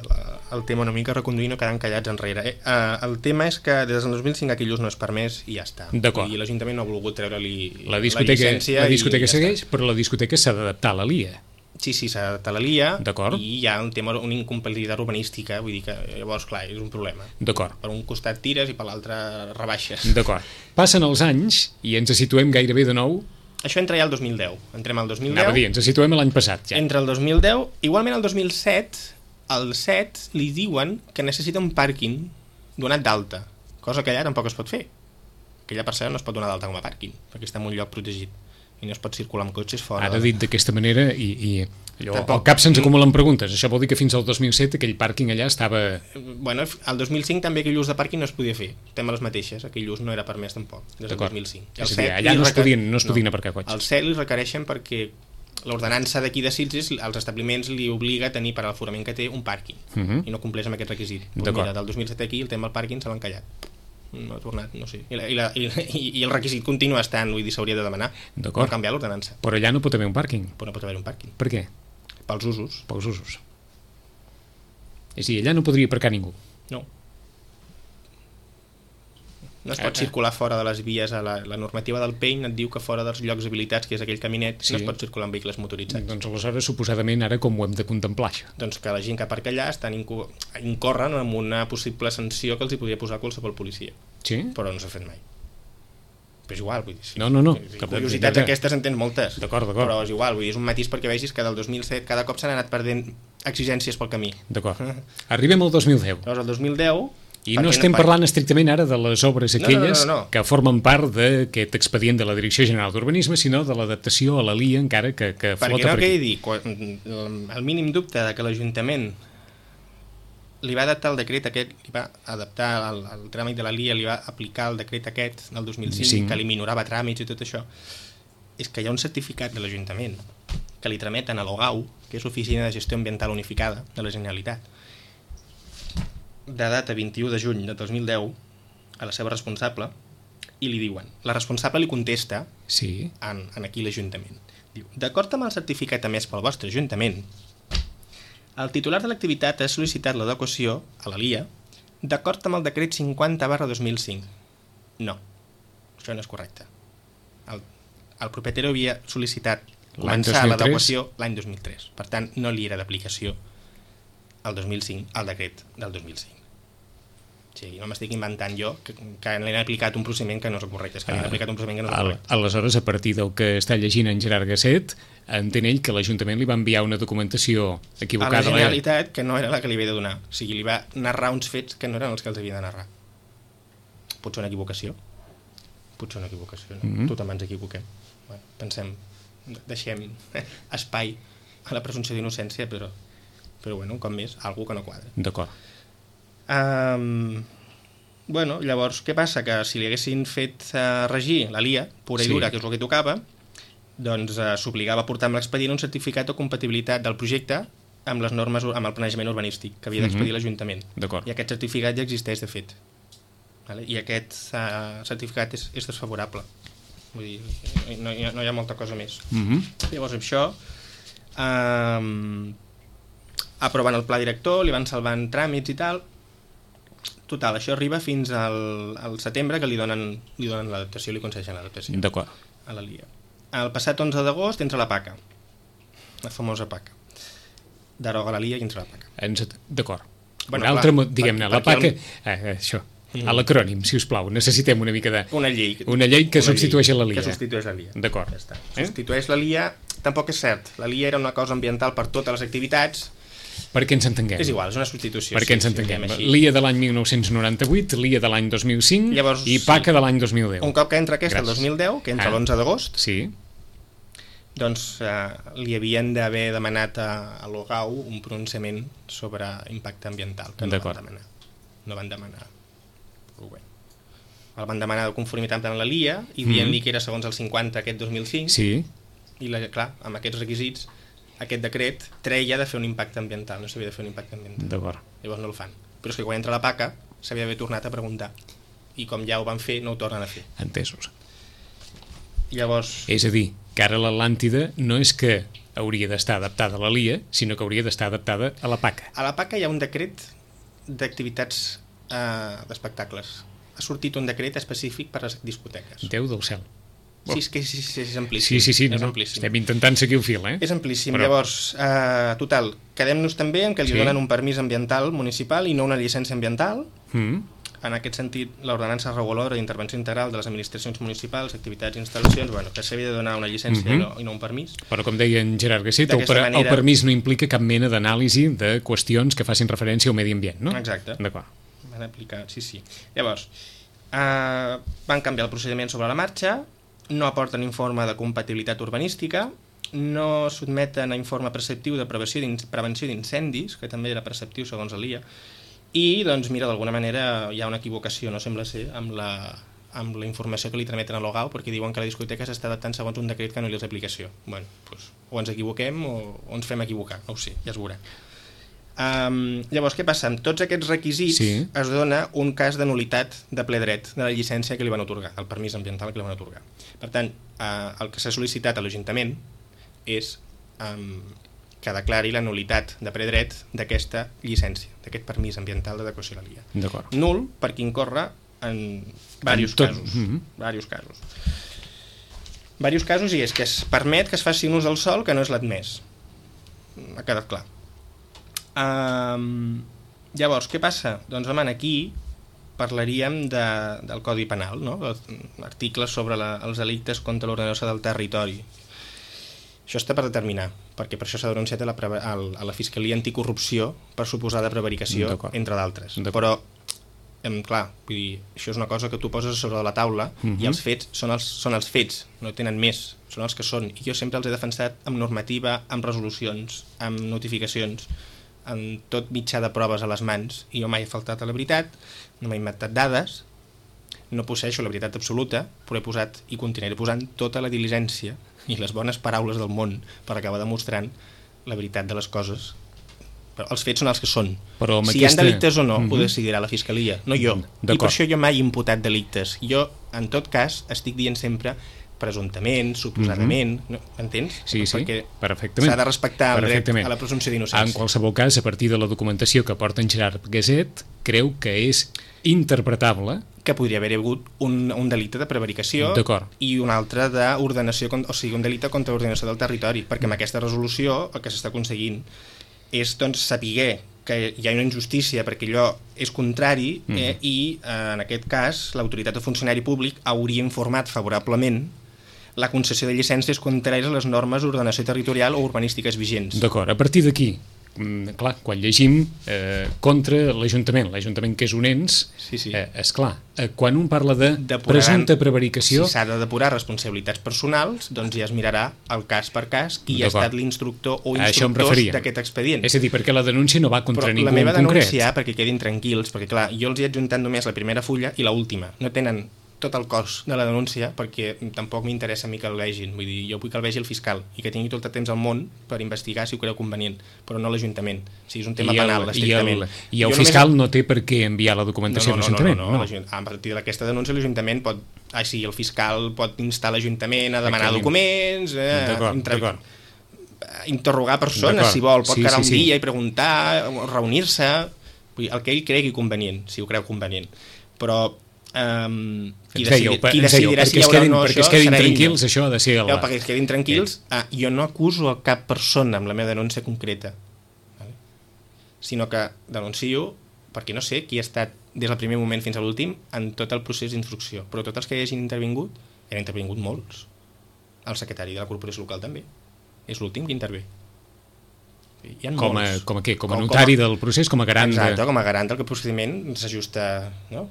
el tema una mica, reconduir no quedant callats enrere. Eh? Uh, el tema és que des del dos mil cinc aquell ús no és permès i ja està. D'acord. I l'Ajuntament no ha volgut treure-li la, la llicència. La discoteca ja segueix, però la discoteca s'ha d'adaptar a la L I A. Sí, sí, s'ha d'adaptar a la L I A. D'acord. I hi ha un tema, una incompatibilitat urbanística, vull dir que llavors, clar, és un problema. D'acord. Per un costat tires i per l'altre rebaixes. D'acord. Passen els anys i ens situem gairebé de nou. Això entra ja al dos mil deu. Entrem al dos mil deu. Anava a dir, ens situem l'any passat, ja. Entre el dos mil deu, igualment el dos mil set, al set li diuen que necessita un pàrquing donat d'alta, cosa que allà tampoc es pot fer. Aquella parcel·la no es pot donar d'alta com a pàrquing, perquè està en un lloc protegit i no es pot circular amb cotxes fora. Ara dit d'aquesta manera i, i allò, al cap se'ns acumulen preguntes. Això vol dir que fins al dos mil set aquell pàrquing allà estava... Bueno, al dos mil cinc també aquell ús de pàrquing no es podia fer. Estem a les mateixes, aquell ús no era permès tampoc, des del dos mil cinc. És a dir, allà no es podien, no es podien no. aparcar cotxes. Al set li requereixen perquè l'ordenança d'aquí de Sitges als establiments li obliga a tenir per a l'aforament que té un pàrquing uh -huh. i no compleix amb aquest requisit. Pues mira, del dos mil set aquí el tema del pàrquing se l'ha encallat. No ha tornat, no sé. I, la, i, la, i, i el requisit continua estant, vull dir, s'hauria de demanar per canviar l'ordenança. Però allà no pot haver un pàrquing. Però no pot haver un pàrquing. Per què? Pels usos. Pels usos. És a dir, allà no podria aparcar ningú. No. No es pot circular fora de les vies. A la, la normativa del P E I N et diu que fora dels llocs habilitats, que és aquell caminet, sí. no es pot circular amb vehicles motoritzats. Doncs aleshores, suposadament, ara com ho hem de contemplar, això? Doncs que la gent que aparca allà estan inco incorren en una possible sanció que els hi podria posar qualsevol policia. Sí? Però no s'ha fet mai. Però és igual, vull dir... Sí. No, no, no. Si curiositats aquestes en tens moltes. D'acord, d'acord. Però és igual, vull dir, és un matís perquè vegis que del dos mil set cada cop s'han anat perdent exigències pel camí. D'acord. Arribem al dos mil deu. Llavors, el dos mil deu... I no estem no, parlant estrictament ara de les obres aquelles no, no, no, no. que formen part d'aquest expedient de la Direcció General d'Urbanisme, sinó de l'adaptació a la L I A encara que, que flota per aquí. Perquè no quedi dir, quan, el mínim dubte de que l'Ajuntament li va adaptar el decret aquest, li va adaptar el, el tràmit de la L I A, li va aplicar el decret aquest del dos mil cinc, sí. que li minorava tràmits i tot això, és que hi ha un certificat de l'Ajuntament que li trameten a l'OGAU, que és l'Oficina de Gestió Ambiental Unificada de la Generalitat, de data vint-i-u de juny de dos mil deu a la seva responsable i li diuen, la responsable li contesta sí. en, en aquí l'Ajuntament. Diu, d'acord amb el certificat emès pel vostre Ajuntament, el titular de l'activitat ha sol·licitat l'adequació a la L I A d'acord amb el decret cinquanta barra dos mil cinc. No, això no és correcte. El, el propietari havia sol·licitat començar l'adequació l'any dos mil tres. Per tant, no li era d'aplicació el dos mil cinc, el decret del dos mil cinc. Sí, no m'estic inventant jo que, que l'han aplicat un procediment que no és el correcte, és que l'han aplicat un procediment que no és el correcte. Aleshores, a partir del que està llegint en Gerard Gasset, entén ell que l'Ajuntament li va enviar una documentació equivocada. A la Generalitat, que no era la que li havia de donar. O sigui, li va narrar uns fets que no eren els que els havia de narrar. Potser una equivocació. Potser una equivocació, no? Mm-hmm. Tothom ens equivoquem. Bueno, pensem, deixem espai a la presumpció d'innocència, però, però bueno, un cop més, algú que no quadra. D'acord. Um, bueno, llavors, què passa? Que si li haguessin fet uh, regir la L I A, pura i dura, sí, que és el que tocava, doncs uh, s'obligava a portar amb l'expedient un certificat de compatibilitat del projecte amb les normes, amb el planejament urbanístic que havia d'expedir mm-hmm. l'Ajuntament. D'acord. I aquest certificat ja existeix, de fet. Vale? I aquest uh, certificat és, és desfavorable. Vull dir, no hi ha, no hi ha molta cosa més. Mm-hmm. Llavors, això... Um, aprovant el pla director, li van salvant tràmits i tal. Total, això arriba fins al, al setembre, que li donen, li donen l'adaptació, li concedeixen l'adaptació. D'acord. A la L I A. El passat onze d'agost entra la PACA, la famosa PACA. Deroga la L I A i entra la PACA. Ens... D'acord. Bueno, un altre, clar, diguem-ne, la PACA... El... Eh, això, mm. a l'acrònim, si us plau, necessitem una mica de... Una llei. Una llei que una substitueix llei, la L I A. Que substitueix la L I A. D'acord. Ja està. Eh? Substitueix la L I A, tampoc és cert. La L I A era una cosa ambiental per totes les activitats. Perquè ens entenguem. És igual, és una substitució. Perquè sí, ens entenguem. Sí, L I A de l'any mil nou-cents noranta-vuit, L I A de l'any dos mil cinc. Llavors, i PACA sí, de l'any dos mil deu. Un cop que entra aquesta, el dos mil deu, que entra ah. l'onze d'agost, sí, doncs eh, li havien d'haver demanat a, a l'Ogau un pronunciament sobre impacte ambiental, que no van demanar. No van demanar. Bé. El van demanar de conformitat amb la L I A i dient-li mm. que era segons el cinquanta aquest dos mil cinc. Sí. I la, clar, amb aquests requisits aquest decret treia de fer un impacte ambiental, no s'havia de fer un impacte ambiental. D'acord. Llavors no el fan. Però és que quan entra la PACA s'havia d'haver tornat a preguntar. I com ja ho van fer, no ho tornen a fer. Entesos. Llavors... És a dir, que ara l'Atlàntida no és que hauria d'estar adaptada a la L I A, sinó que hauria d'estar adaptada a la PACA. A la PACA hi ha un decret d'activitats eh, d'espectacles. Ha sortit un decret específic per a les discoteques. Déu del cel. Sí, és que sí, sí, és amplíssim. Sí, sí, sí, no, és amplíssim. Estem intentant seguir el fil, eh? És amplíssim. Però... Llavors, eh, total, quedem-nos també en que li sí. donen un permís ambiental municipal i no una llicència ambiental. Mm. En aquest sentit, l'ordenança reguladora d'intervenció integral de les administracions municipals, activitats i instal·lacions, bueno, que s'havia de donar una llicència mm-hmm. i, no, i no un permís. Però com deia en Gerard Gasset, el, per, manera... el permís no implica cap mena d'anàlisi de qüestions que facin referència al medi ambient, no? Exacte. D'acord. Van aplicar, sí, sí. Llavors, eh, van canviar el procediment sobre la marxa, no aporten informe de compatibilitat urbanística, no sotmeten a informe preceptiu de prevenció d'incendis, que també era preceptiu segons l'I A, i doncs mira, d'alguna manera hi ha una equivocació, no sembla ser, amb la, amb la informació que li trameten a l'Ogau, perquè diuen que la discoteca s'està adaptant segons un decret que no li és aplicació. Bueno, doncs, o ens equivoquem o, o ens fem equivocar, no ho sé, ja es veurà. Um, llavors, què passa? Amb tots aquests requisits sí. es dona un cas de nulitat de ple dret de la llicència que li van atorgar, el permís ambiental que li van atorgar. Per tant, uh, el que s'ha sol·licitat a l'Ajuntament és um, que declari la nulitat de ple dret d'aquesta llicència, d'aquest permís ambiental d'adequació a la L I A. D'acord. Nul perquè incorre en diversos tot... casos. Mm-hmm. Diversos casos. Diversos casos i és que es permet que es faci un ús del sòl que no és l'admès. Ha quedat clar. Um, llavors, què passa? Doncs, home, aquí parlaríem de, del Codi Penal, no? Articles sobre la, els delictes contra l'ordenació del territori. Això està per determinar, perquè per això s'ha denunciat a la, a la Fiscalia Anticorrupció per suposada prevaricació, entre d'altres. Però, em, clar, vull dir, això és una cosa que tu poses sobre de la taula uh-huh. i els fets són els, són els fets, no tenen més, són els que són. I jo sempre els he defensat amb normativa, amb resolucions, amb notificacions, amb tot mitjà de proves a les mans, i jo mai he faltat a la veritat, no m'he inventat dades, no posseixo la veritat absoluta, però he posat i continuaré posant tota la diligència i les bones paraules del món per acabar demostrant la veritat de les coses. Però els fets són els que són. Però si aquesta... hi ha delictes o no, mm-hmm. ho decidirà la Fiscalia, no jo. I per això jo mai he imputat delictes. Jo, en tot cas, estic dient sempre presumptament, suposadament, mm-hmm. no, entens? Sí, sí, perquè perfectament. S'ha de respectar el dret a la presumpció d'innocència. En qualsevol cas, a partir de la documentació que porta en Gerard Gasset, creu que és interpretable que podria haver hagut un, un delicte de prevaricació i un altre d'ordenació, o sigui, un delicte contra l'ordenació del territori, perquè amb aquesta resolució el que s'està aconseguint és doncs, saber que hi ha una injustícia perquè allò és contrari eh, Mm. i eh, en aquest cas l'autoritat o funcionari públic hauria informat favorablement la concessió de llicències contràries a les normes d'ordenació territorial o urbanístiques vigents. D'acord, a partir d'aquí, mm, clar, quan llegim eh, contra l'Ajuntament, l'Ajuntament que és un ens, Sí, sí. eh, esclar, eh, quan un parla de Depuraran- presumpta prevaricació, Si s'ha de depurar responsabilitats personals, doncs ja es mirarà el cas per cas qui ha D'acord. estat l'instructor o A això em instructors referia. d'aquest expedient. és a dir, perquè la denúncia no va contra Però ningú la meva en concret. denúncia, perquè quedin tranquils, perquè clar, jo els he adjuntat només la primera fulla i la última. No tenen tot el cos de la denúncia perquè tampoc m'interessa a mi que el vegin. Vull dir, jo vull que el vegi el fiscal i que tingui tot el temps al món per investigar si ho creu convenient, però no l'Ajuntament. O sigui, és un tema I el, penal, i estrictament. el, i el Jo fiscal només... no té per què enviar la documentació no, no, a l'Ajuntament. No, no, no, no. A partir d'aquesta denúncia l'Ajuntament pot... Ah, sí, el fiscal pot instar l'Ajuntament a demanar Aquí. documents, eh, D'acord, intra- d'acord. interrogar persones, D'acord. si vol, pot Sí, quedar sí, un sí. dia i preguntar, o reunir-se, vull dir, el que ell cregui convenient, si ho creu convenient. Però um, qui, Ens decidi, dèieu, qui ens dèieu, decidirà perquè si hi es haurà quedin, o no perquè això es quedin serà ell. tranquils, això ha de ser... Ja, La... perquè es quedin tranquils, ah, jo no acuso a cap persona amb la meva denúncia concreta, vale? Sinó que denuncio perquè no sé qui ha estat des del primer moment fins a l'últim en tot el procés d'instrucció, però tots els que hagin intervingut, han intervingut molts. El secretari de la corporació local també, és l'últim que intervé. Hi ha Com a, molts. com a què? Com a Com- notari com a- del procés, com a garant Exacte, de... com a garant del que el procediment s'ajusta, no?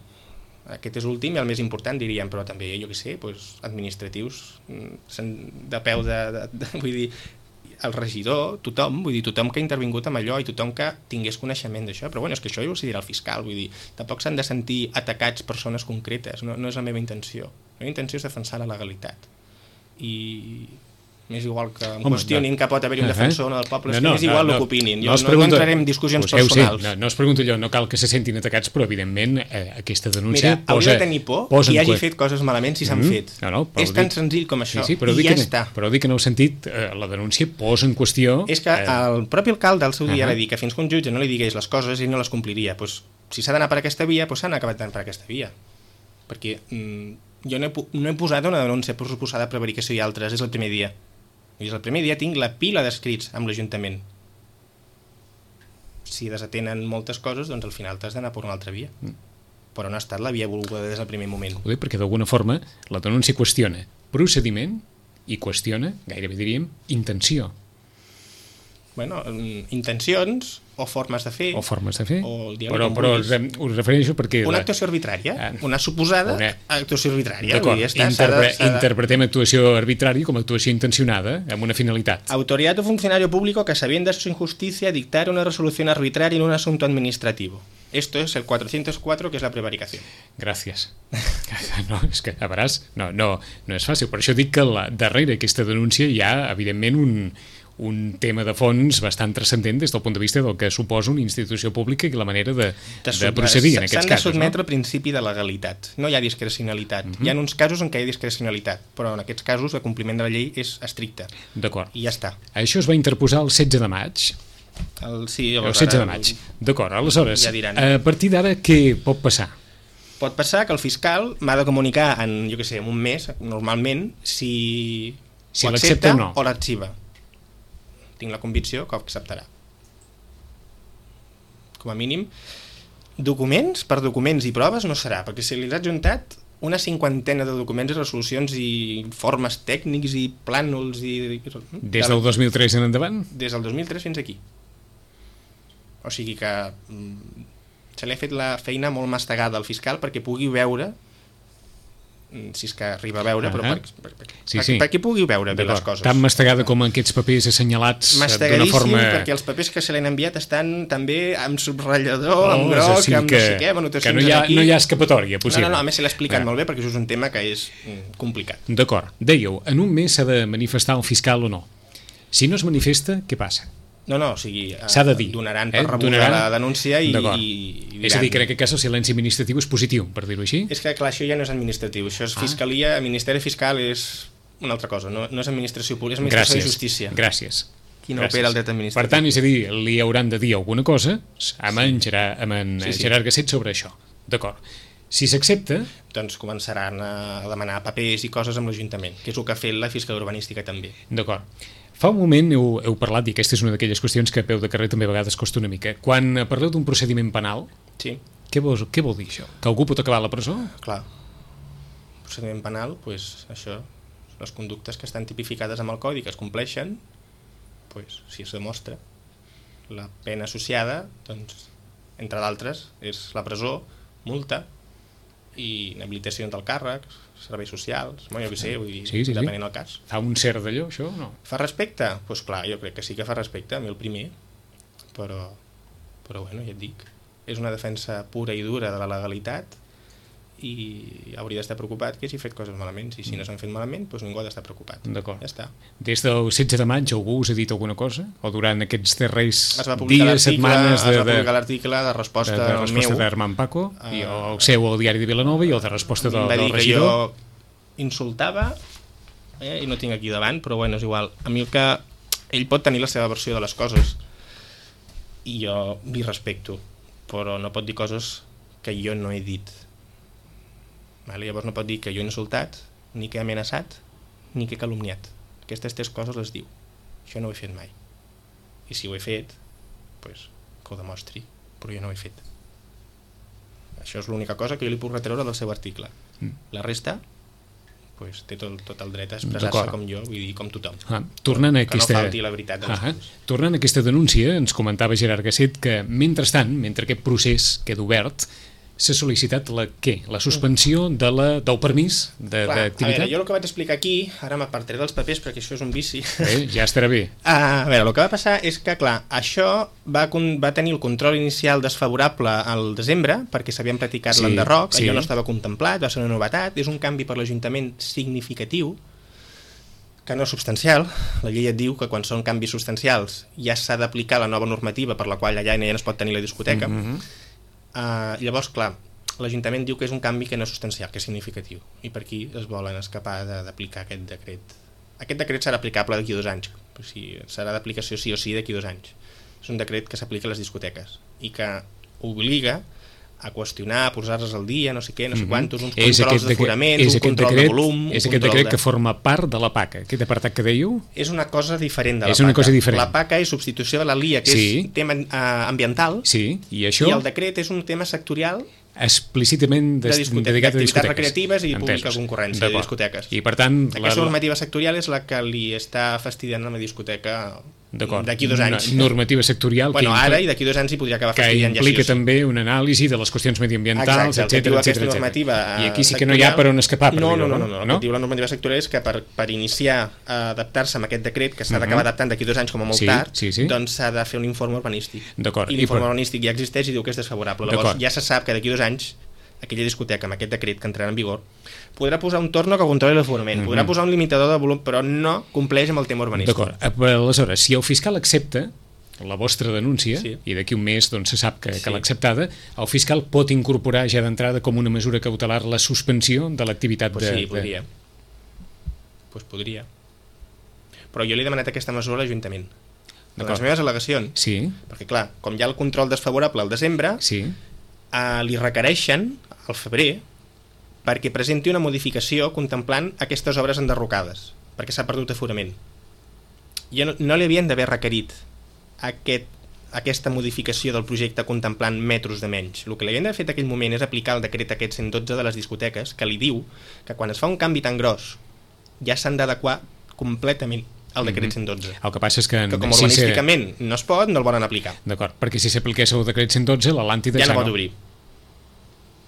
Aquest és l'últim i el més important, diríem, però també, jo què sé, doncs, administratius, mm, sen- de peu de, de, de... Vull dir, el regidor, tothom, vull dir, tothom que ha intervingut amb allò i tothom que tingués coneixement d'això, però bueno, és que això ho decidirà el fiscal, vull dir, tampoc s'han de sentir atacats persones concretes, no, no és la meva intenció. La meva intenció és defensar la legalitat. I m'és igual que em Home, qüestionin no. que pot haver-hi un Uh-huh. defensor o no del poble, és No, que no, m'és igual no, el que no. opinin. No Jo es no, pregunta- no entraré en discussions Us heu, sí, personals. no, no es pregunto jo, no cal que se sentin atacats, però evidentment eh, aquesta denúncia Mira, posa... hauria de tenir por posa qui en hagi qüest- fet coses malament si s'han Mm, fet. no, no, però és ho tan dic- senzill com això, Sí, sí, però i dic ja que, està. Però dic que en el sentit, eh, la denúncia posa en qüestió... És que eh, el propi alcalde al seu dia uh-huh. va dir que fins que un jutge no li digués les coses ell no les compliria. Pues, si s'ha d'anar per aquesta via, pues s'han acabat anant per aquesta via. Perquè mm, jo no he, pu- no he posat una denúncia per suposada prevaricació i altres, és el primer dia. I el primer dia tinc la pila d'escrits amb l'Ajuntament. Si desatenen moltes coses, doncs al final t'has d'anar per una altra via. Mm. Però no ha estat la via volguda des del primer moment. Ho dic perquè d'alguna forma la denúncia qüestiona procediment i qüestiona, gairebé diríem, intenció Bueno, mm, intencions o formes de fer... o formes de fer. O el dia però que però vulguis. us, us refereixo perquè... Una la- actuació arbitrària, Ah. una suposada Una- actuació arbitrària. D'acord, Vull dir, ja està, s'ha de- interpre s'ha de- interpretem actuació arbitrària com a actuació intencionada amb una finalitat. Autoridad o funcionario público que, sabiendo su injusticia, dictar una resolución arbitraria en un asunto administrativo. Esto es el cuatrocientos cuatro, que es la prevaricación. Gràcies. No, és que, a veuràs, no, no, no és fàcil. Per això dic que la, darrere aquesta denúncia hi ha, evidentment, un, un tema de fons bastant transcendent des del punt de vista del que suposa una institució pública i la manera de, de procedir en aquests S'han de casos. sotmetre No? al principi de legalitat. No hi ha discrecionalitat. Mhm. Hi ha uns casos en què hi ha discrecionalitat, però en aquests casos el compliment de la llei és estricte. D'acord. I ja està. Això es va interposar el setze de maig. El, sí, El llavors setze de ara maig. D'acord, aleshores, Ja diran. a partir d'ara què pot passar? Pot passar que el fiscal m'ha de comunicar en, jo què sé, en un mes, normalment, si, Si ho l'accepta accepta o no. o l'arxiva. Tinc la convicció que ho acceptarà. Com a mínim, documents per documents i proves no serà, perquè se li ha adjuntat una cinquantena de documents i resolucions i informes tècnics i plànols i... Des del dos mil tres en endavant? Des del dos mil tres fins aquí. O sigui que mm, se li ha fet la feina molt mastegada al fiscal perquè pugui veure, mm, si és que arriba a veure, però Ahà. per, per, per, Sí, per, sí. perquè pugui veure bé les D'acord. coses. Tan mastegada com aquests papers assenyalats eh, d'una Mastegadíssim, forma... perquè els papers que se li han enviat estan també amb subratllador, Oh, amb és groc, així amb que, no sé què, amb que anotacions no hi ha, aquí. no hi ha escapatòria No, possible. no, no, a més se l'ha explicat Ah. molt bé perquè això és un tema que és mm, complicat. D'acord. Dèieu, en un mes s'ha de manifestar el fiscal o no. Si no es manifesta, què passa? No, no, o sigui, eh, S'ha de dir. donaran per eh? rebuda Donaran- la denúncia i, D'acord. i, i diran... És a dir, que en aquest cas el silenci administratiu és positiu, per dir-ho així? És que, clar, això ja no és administratiu, això és Ah. fiscalia, el Ministeri Fiscal és una altra cosa, no, no és administració pública, és administració Gràcies. de justícia. Gràcies. Qui no opera el dret administratiu. Per tant, és a dir, li hauran de dir alguna cosa amb en, Gerard, amb en Sí, sí. Gerard Gasset sobre això. D'acord. Si s'accepta, Doncs començaran a demanar papers i coses amb l'Ajuntament, que és el que ha fet la Fiscalia Urbanística també. d'acord. Fa un moment heu, heu parlat, i aquesta és una d'aquelles qüestions que a peu de carrer també a vegades costa una mica. Quan parleu d'un procediment penal, Sí, què vol, què vol dir això? Que algú pot acabar a la presó? clar. Procediment penal, pues, això, les conductes que estan tipificades amb el codi, que es compleixen, pues, si es demostra, la pena associada, doncs, entre d'altres, és la presó, multa i inhabilitació del càrrec, serveis socials, bueno, jo què sé, vull dir, Sí, sí, sí. depenent del cas. Fa un cert d'allò, això, o no? Fa respecte? Doncs pues clar, jo crec que sí que fa respecte, a mi el primer, però, però bueno, ja et dic, és una defensa pura i dura de la legalitat i hauria d'estar preocupat que si fet coses malament, i si no s'han fet malament, doncs ningú ha d'estar preocupat. D'acord. Ja està. Des del setze de maig algú us ha dit alguna cosa? O durant aquests darrers Es va publicar dies, l'article, setmanes es de, va de, publicar l'article de resposta, de, de resposta meu. d'Herman Paco, Uh, i el seu al diari de Vilanova i el de resposta del, Em va dir del que regidor. jo insultava, eh, i no tinc aquí davant, però bueno, és igual. A mi el que... Ell pot tenir la seva versió de les coses i jo li respecto, però no pot dir coses que jo no he dit. Vale? Llavors no pot dir que jo he insultat, ni que he amenaçat, ni que he calumniat. Aquestes tres coses les diu. Això no ho he fet mai. I si ho he fet, pues, que ho demostri, però jo no ho he fet. Això és l'única cosa que jo li puc retreure del seu article. Mm. La resta, pues, té tot, tot el dret a expressar-se D'acord. com jo, vull dir, com tothom. Ah, tornant a que aquesta... no falti la veritat dels Ah, coses. tornant a aquesta denúncia, ens comentava Gerard Gasset que, mentrestant, mentre aquest procés queda obert, s'ha sol·licitat la què? La suspensió de la, del permís de- Clar, a d'activitat? veure, jo el que vaig explicar aquí, ara m'apartaré dels papers perquè això és un vici. Eh, ja estarà bé. Ah, a veure, el que va passar és que, clar, això va, con- va tenir el control inicial desfavorable al desembre, perquè s'havien practicat Sí, l'enderroc, sí. allò no estava contemplat, va ser una novetat, és un canvi per l'Ajuntament significatiu, que no substancial. La llei et diu que quan són canvis substancials ja s'ha d'aplicar la nova normativa per la qual allà ja no es pot tenir la discoteca. Mm -hmm. Uh, llavors, clar, l'Ajuntament diu que és un canvi que no és substancial, que és significatiu, i per aquí es volen escapar de- d'aplicar aquest decret. Aquest decret serà aplicable d'aquí a dos anys, o sigui, serà d'aplicació sí o sí d'aquí a dos anys. És un decret que s'aplica a les discoteques i que obliga a qüestionar, a posar-les al dia, no sé què, no sé quantos, uns És controls aquest decret- d'aforaments, és un aquest control decret, de volum... És un aquest control decret de... que forma part de la P A C, aquest apartat que dèieu? És una cosa diferent de la És P A C. una cosa diferent. La P A C és substitució de la L I A, que Sí. és tema uh, ambiental, Sí, i això i el decret és un tema sectorial explícitament de des, discoteques, dedicat a d'activitats discoteques. recreatives i pública Entesos. concurrència de D'acord. discoteques. I per tant... Aquesta normativa sectorial és la que li està fastidiant a la discoteca D'acord. d'aquí dos anys. Una normativa sectorial Bueno, que, ara i d'aquí dos anys hi podria acabar que fastidiant implica ja sí o sí. també una anàlisi de les qüestions mediambientals, Exacte, el que diu etcètera, aquesta etcètera. normativa I eh, aquí sí que no hi ha sectorial- per on escapar, per no, no, dir-ho, no, no, no, el que diu la normativa sectorial és que per, per iniciar a adaptar-se a aquest decret, que s'ha d'acabar Mhm. adaptant d'aquí dos anys com a molt Sí, tard, sí, sí. doncs s'ha de fer un informe urbanístic. D'acord. I I l'informe per- urbanístic ja existeix i diu que és desfavorable. Llavors D'acord. ja se sap que d'aquí dos anys aquella discoteca amb aquest decret que entrarà en vigor podrà posar un torno que controli l'aforament, Mhm. podrà posar un limitador de volum, però no compleix amb el tema urbanístic. D'acord. Aleshores, si el fiscal accepta la vostra denúncia, Sí. i d'aquí un mes doncs, se sap que, Sí. que l'ha acceptada, el fiscal pot incorporar ja d'entrada com una mesura cautelar la suspensió de l'activitat Pues de... sí, podria. De... Pues podria. Però jo li he demanat aquesta mesura a l'Ajuntament. De D'acord. les meves al·legacions. Sí, Perquè, clar, com hi ha el control desfavorable al desembre, sí. eh, li requereixen, al febrer, perquè presenti una modificació contemplant aquestes obres enderrocades, perquè s'ha perdut aforament. I no, no li havien d'haver requerit aquest, aquesta modificació del projecte contemplant metres de menys. El que li havien d'haver fet en aquell moment és aplicar el decret aquest cent dotze de les discoteques, que li diu que quan es fa un canvi tan gros ja s'han d'adequar completament al decret cent dotze. El que passa és que... Que com si se- urbanísticament no es pot, no el volen aplicar. D'acord, perquè si s'apliqués el decret cent dotze, l'Atlàntida Ja no pot obrir.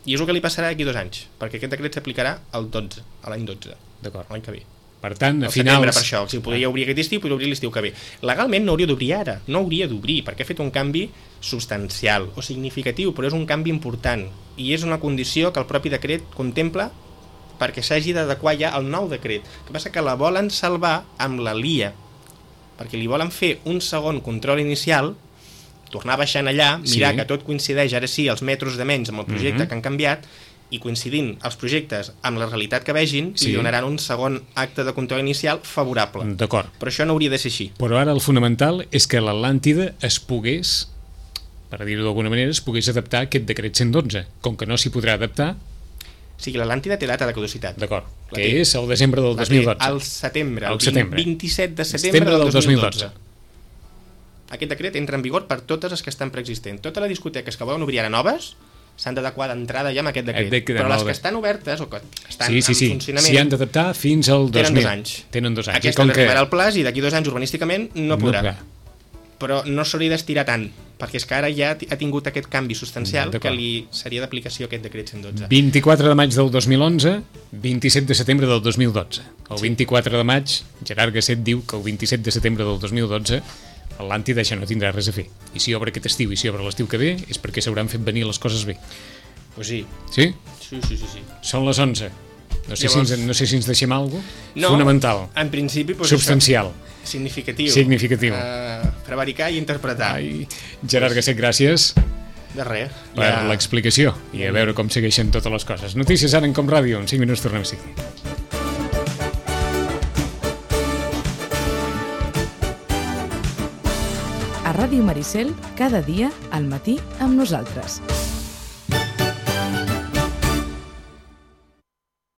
I és el que li passarà d'aquí dos anys, perquè aquest decret s'aplicarà al dotze, a l'any dotze, D'acord. l'any que ve. Per tant, a Al setembre, finals... per això, si podria obrir aquest estiu, podria obrir l'estiu que ve. Legalment no hauria d'obrir ara, no hauria d'obrir, perquè ha fet un canvi substancial o significatiu, però és un canvi important, i és una condició que el propi decret contempla perquè s'hagi d'adequar ja al nou decret. El que passa que la volen salvar amb la L I A, perquè li volen fer un segon control inicial, tornar baixant allà, mirar Sí. que tot coincideix, ara sí, els metres de menys amb el projecte Mhm. que han canviat, i coincidint els projectes amb la realitat que vegin, Sí. li donaran un segon acte de control inicial favorable. D'acord. Però això no hauria de ser així. Però ara el fonamental és que l'Atlàntida es pogués, per dir-ho d'alguna manera, es pogués adaptar a aquest decret cent dotze. Com que no s'hi podrà adaptar, O sigui, l'Atlàntida té data de caducitat. D'acord, La que té. és el desembre del La dos mil té dotze. al setembre, Al el setembre. vint-i-set de setembre del del dos mil dotze. dos mil dotze. Aquest decret entra en vigor per totes les que estan preexistents. Totes les discoteques que volen obrir ara noves s'han d'adequar d'entrada ja amb aquest decret. Aquest decret, Però les molt que bé. estan obertes o que estan Sí, sí, en sí, funcionament s'hi han d'adaptar fins al dos tenen mil. dos anys. Tenen dos anys. Aquesta I com li que... arribarà al plaç i d'aquí dos anys urbanísticament no podrà. No, Però no s'hauria d'estirar tant, perquè és que ara ja ha tingut aquest canvi substancial que li seria d'aplicació aquest decret cent dotze. vint-i-quatre de maig del dos mil onze, vint-i-set de setembre del dos mil dotze. El Sí. vint-i-quatre de maig, Gerard Gasset diu que el vint-i-set de setembre del dos mil dotze l'Atlàntida això no tindrà res a fer. I si obre aquest estiu i si obre l'estiu que ve és perquè s'hauran fet venir les coses bé. Pues sí. Sí? Sí, sí, sí, sí. Són les onze. No sé, Llavors... si, ens, no sé si ens deixem alguna cosa No, fonamental, en principi... Pues substancial. Això, significatiu. Significatiu. Uh, prevaricar i interpretar. Ai, Gerard Gasset, gràcies De res. per Ja... l'explicació i a veure com segueixen totes les coses. Notícies ara en Com Ràdio. En cinc minuts tornem a seguir. A Ràdio Maricel, cada dia al matí amb nosaltres.